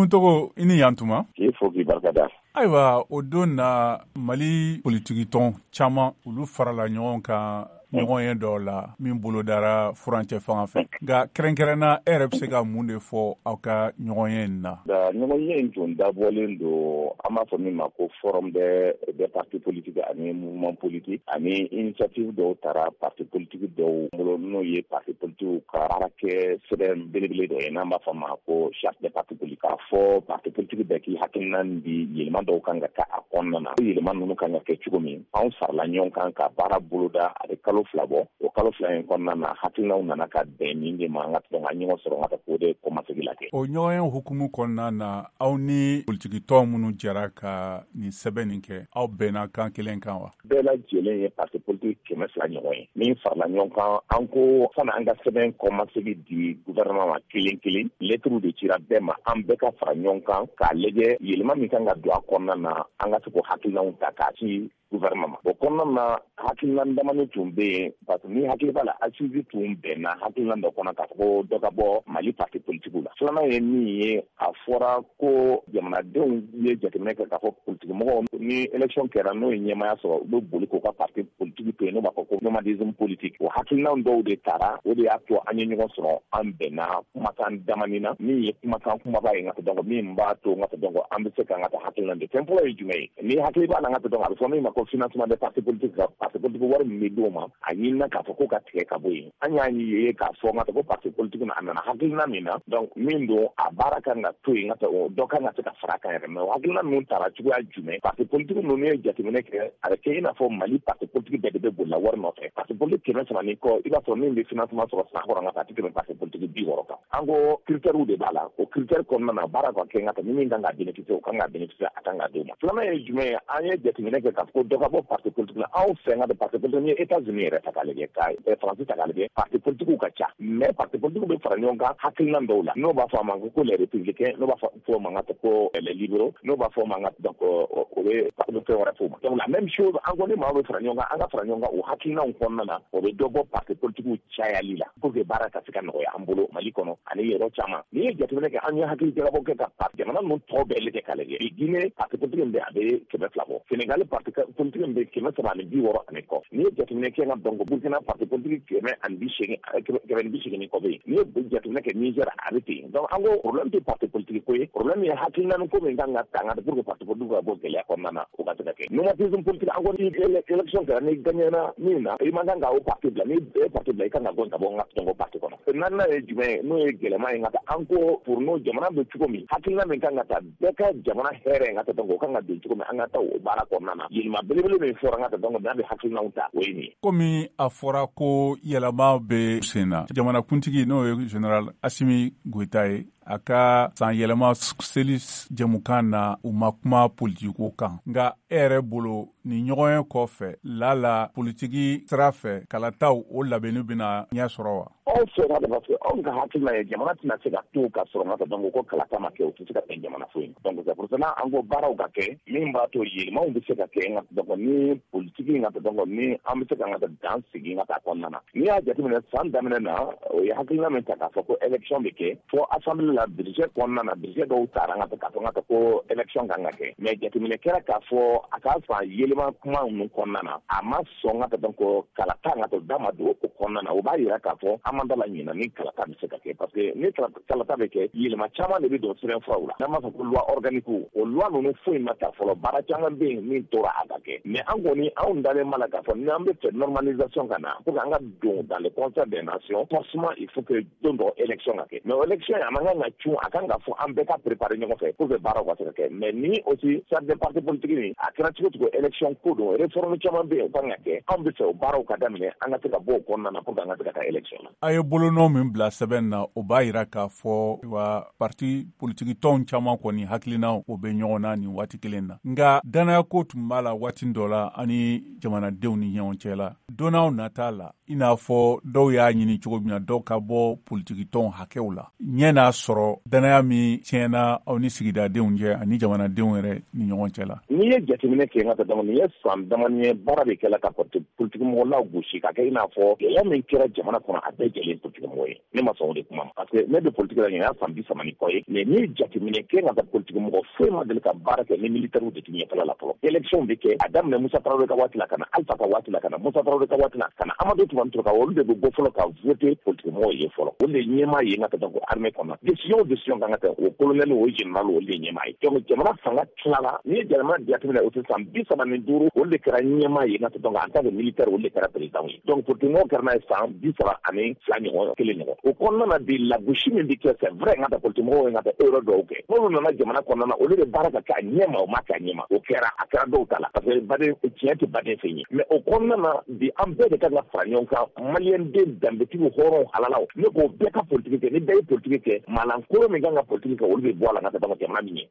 Nuhu Togo, i ni yantuma. K'i fo k'i barikada. Ayiwa, o don na, Mali politikitɔn caman, olu farala ɲɔgɔn kan ɲɔgɔn ye dɔw la min bolodara furancɛ fanga fɛ. Nka kɛrɛnkɛrɛnna, e yɛrɛ bɛ se ka mun de fɔ aw ka ɲɔgɔn ye in na? Ɲɔgɔn ye in tun dabɔlen don, an b'a fɔ min ma ko forum des partis politiques ani mouvement politique, ani initiative dɔw taara parti politique dɔw bolo, n'o ye parti politique ka baarakɛ sɛbɛn belebele dɔ ye, n'an b'a fɔ ma ko charte des partis politiques, k'a fɔ parti politique bɛɛ k'i hakilina di yɛlɛma dɔw kan ka kɛ a kɔnɔna na, yɛlɛma ninnu kan ka kɛ cogo min. Anw farala ɲɔgɔn kan ka baara boloda, a bɛ kalo 2 bɔ. O kalo 2 in kɔnɔna na, hakilinaw nana ka bɛn nin de ma, an ka an ɲɔgɔn sɔrɔ ka k'o de kɔmasegin la kɛ. O ɲɔgɔn ye hukumu kɔnɔna na, aw ni politikitɔn minnu jɛra ka nin sɛbɛn nin kɛ, aw bɛnna kan kelen kan wa? Bɛɛ lajɛlen ye parti politique 200 ɲɔgɔn ye min farala ɲɔgɔn kan. An ko sani an ka sɛbɛn kɔmasegin di gouvernement ma kelen kelen, lettre de cira bɛɛ ma, an bɛɛ ka fara ɲɔgɔn kan k'a lajɛ yɛlɛma min kan ka don a kɔnɔna na, an ka se k'o hakilinaw ta k'a ci gouvernement ma. O kɔnɔna na, hakilina damani tun bɛ yen, parce que ni hakili b'a la, assise tun bɛnna hakilina dɔ kɔnɔ k'a fɔ ko dɔ ka bɔ Mali parti politique la. Filanan ye min ye, a fɔra ko jamanadenw ye jateminɛ kɛ k'a fɔ politique mɔgɔw, ni élection kɛra, n'o ye ɲɛmaya sɔrɔ, u bɛ boli k'u ka parti politique to yen, n'o b'a fɔ ko nomadisme politique. O hakilina dɔw de taara, o de y'a to an ye ɲɔgɔn sɔrɔ, an bɛnna kumakan damani na min ye kumakan kumaba ye, nka donc min b'a to nka donc an bɛ se k'an ka hakilina de. Fɛn fɔlɔ ye jumɛn ye? Ni hakili b'a la, nka donc a bɛ fɔ min ma ko financement des partis politiques, ka parti politique wari min bɛ d'o ma, a ɲinina k'a fɔ ko ka tigɛ ka bɔ yen. An y'a ye k'a fɔ nka ko parti politique a nana hakilina min na, donc min don, a baara kan ka to yen, nka dɔ kan ka se ka fara a kan yɛrɛ. Mais o hakilina ninnu taara cogoya jumɛn? Parti politique ninnu ye jateminɛ kɛ, a bɛ kɛ i n'a fɔ Mali parti politique bɛɛ de bɛ bolila wari nɔfɛ. Parti politique 300 ni kɔ, i b'a sɔrɔ min bɛ financement sɔrɔ san kɔnɔ, nka a tɛ tɛmɛ parti politique 60 kan. An ko critère de b'a la. O critère kɔnɔna na, baara ka kɛ, nka ni min kan ka bénéficier, o kan ka bénéficier, a kan ka d'o ma. Filanan ye jumɛn ye? An ye jateminɛ kɛ k'a fɔ ko dɔ ka bɔ parti politique la anw fɛ. Nka parti politique, ni ye États-Unis yɛrɛ ta k'a lajɛ, ka Faransi ta k'a lajɛ, parti politique ka ca, mais parti politique bɛ fara ɲɔgɔn kan hakilina dɔw la, n'o b'a fɔ a ma ko les républicains, n'o b'a fɔ o ma ko les libéraux, n'o b'a fɔ o ma, donc o bɛ fɛn wɛrɛ f'o ma. Donc la même chose, an ko ni maaw bɛ fara ɲɔgɔn kan, an ka fara ɲɔgɔn kan o hakilinaw kɔnɔna na, o bɛ dɔ bɔ parti politique cayali la pour que baara ka se ka nɔgɔya an bolo Mali kɔnɔ ani yɔrɔ caman. N'i ye jateminɛ kɛ, an ye hakili jagabɔ kɛ ka jamana ninnu tɔw bɛɛ lajɛ k'a lajɛ bi, Guinée parti politique min bɛ, a bɛ 200 bɔ. Sénégal parti politique min bɛ, 360 ani kɔ. N'i ye jateminɛ kɛ, nka donc Burkina parti politique 180, 180 ni kɔ bɛ yen. N'i ye jateminɛ kɛ Niger, a bɛ ten. Donc an ko problème tɛ parti politique ko ye, problème ye hakilina ko min kan ka ta nka pour que parti politique ka bɔ gɛlɛya kɔnɔna na, o ka se ka kɛ. Nomadisme politique, an ko ni élection kɛra, ni gagnera min na, i man kan ka o parti bila. Ni e parti bila, i kan ka gɔn ka bɔ n ka donc parti kɔnɔ. Naaninan ye jumɛn ye? N'o ye gɛlɛman ye, nka an ko pour nous, jamana bɛ cogo min, hakilina min kan ka ta bɛɛ ka jamana hɛrɛ, nka donc o kan ka don cogo min, an ka taa o baara kɔnɔna na. Yɛlɛma belebele min fɔra, nka donc n'a bɛ hakilinaw ta, o ye nin ye. Komi a fɔra ko yɛlɛma bɛ sen na, jamanakuntigi, n'o ye général Assimi Goïta ye, a ka san yɛlɛma seli jɛmukan na, u ma kuma politiko kan. Nka e yɛrɛ bolo, nin ɲɔgɔn ye kɔfɛ lala, politiki sira fɛ, kalataw o labɛnni bɛna ɲɛ sɔrɔ wa? Anw fɛ ka, parce que anw ka hakilina ye, jamana tɛna se ka to ka sɔrɔ nka donc ko kalata ma kɛ, o tɛ se ka bɛn jamana foyi. Donc c'est pour cela an ko baaraw ka kɛ min b'a to yɛlɛmaw bɛ se ka kɛ, nka donc ni politiki, nka donc ni an bɛ se ka nka dan sigi nka taa kɔnɔna na. N'i y'a jateminɛ, san daminɛ na, o ye hakilina min ta k'a fɔ ko élection bɛ kɛ, fɔ assemblée la, budget kɔnɔna na, budget dɔw taara nka k'a fɔ nka ko élection kan ka kɛ. Mais jateminɛ kɛra k'a fɔ a ka san yɛlɛma kuma ninnu kɔnɔna na, a ma sɔn nka donc kalata nka da ma don o kɔnɔna na. O b'a yira k'a fɔ an man da la ɲina ni kalata bɛ se ka kɛ, parce que ni kalata bɛ kɛ, yɛlɛma caman de bɛ don sɛbɛnfuraw la, n'an b'a fɔ ko loi organique. O loi ninnu foyi ma ta fɔlɔ, baara caman bɛ yen min tora a ka kɛ. Mais an kɔni, anw dalen b'a la k'a fɔ n'an bɛ fɛ normalisation ka na pour que an ka don dans le concert des nations, forcément il faut que don dɔ élection ka kɛ. Mais élection a man kan ka cun, a kan ka fɔ an bɛɛ ka préparer ɲɔgɔn fɛ pour que baaraw ka se ka kɛ. Mais ni aussi charte des partis politiques nin, a kɛra cogo cogo, élection ko don, réforme caman bɛ yen o kan ka kɛ. Anw bɛ fɛ o baaraw ka daminɛ, an ka se ka bɔ o kɔnɔna na pour que an ka se ka taa élection na. A ye bolonɔ min bila sɛbɛn na, o b'a yira k'a fɔ wa parti politiki tɔnw caman kɔni hakilina o bɛ ɲɔgɔn na nin waati kelen na. Nka danayako tun b'a la waati dɔ la ani jamanadenw ni ɲɔgɔn cɛ la. Don nata la, i n'a fɔ dɔw y'a ɲini cogo min na, dɔw ka bɔ politiki tɔnw hakɛw la, ɲɛ n'a sɔrɔ danaya min tiɲɛna aw ni sigidadenw cɛ ani jamanadenw yɛrɛ ni ɲɔgɔn cɛ la. N'i ye jateminɛ kɛ, n ka dɔn nin Nin ye san damani ye, baara de kɛla ka parti politique mɔgɔ lagosi ka kɛ i n'a fɔ gɛlɛya min kɛra jamana kɔnɔ, a bɛɛ jɛlen politique mɔgɔ ye. Ne ma sɔn o de kuma ma, parce que ne bɛ politique la, nin y'a san 30 ni kɔ ye. Mais n'i ye jateminɛ kɛ, ka taa politique mɔgɔ foyi ma deli ka baara kɛ ni militaires de tɛ ɲɛfɛla la fɔlɔ. Élection bɛ kɛ, a daminɛ Musa Tarawele ka waati la, ka na Alpha ka waati la, ka na Musa Tarawele ka waati la, ka na Amadu Tumani Ture ka, olu de bɛ bɔ fɔlɔ ka voter politique mɔgɔw ye fɔlɔ. Olu de ye ɲɛmaa ye. N ka taa ko armée kɔnɔ, décision o décision kan ka kɛ, o colonel, o général, olu de ye ɲɛmaa ye. Donc jamana fanga tilala, n'i ye jamana jateminɛ, o tɛ san 35, olu de kɛra ɲɛmaa ye. N ka taa donc en tant que militaire, olu de kɛra président ye. Donc politique mɔgɔw kɛra n'a ye san 32 ɲɔgɔn kelen ɲɔgɔn. O kɔnɔna na bi, lagosi min bɛ kɛ, c'est vrai, n ka taa politique mɔgɔw ye n ka taa erreur dɔw kɛ. N'olu nana jamana kɔnɔna na, olu de baara ka kɛ a ɲɛ ma, o ma kɛ a ɲɛ ma, o kɛra, a kɛra dɔw ta la, parce que baden tiɲɛ tɛ baden fɛn ye. Mais o kɔnɔna na bi, an bɛɛ de kan ka fara ɲɔgɔn kan, maliyɛn den danbetigiw, hɔrɔnw, halalaw. Ne k'o bɛɛ ka politiki kɛ. Ni bɛɛ ye politiki kɛ, maalankolon min kan ka politiki kɛ, olu bɛ bɔ a la. N ka taa jamana min ye.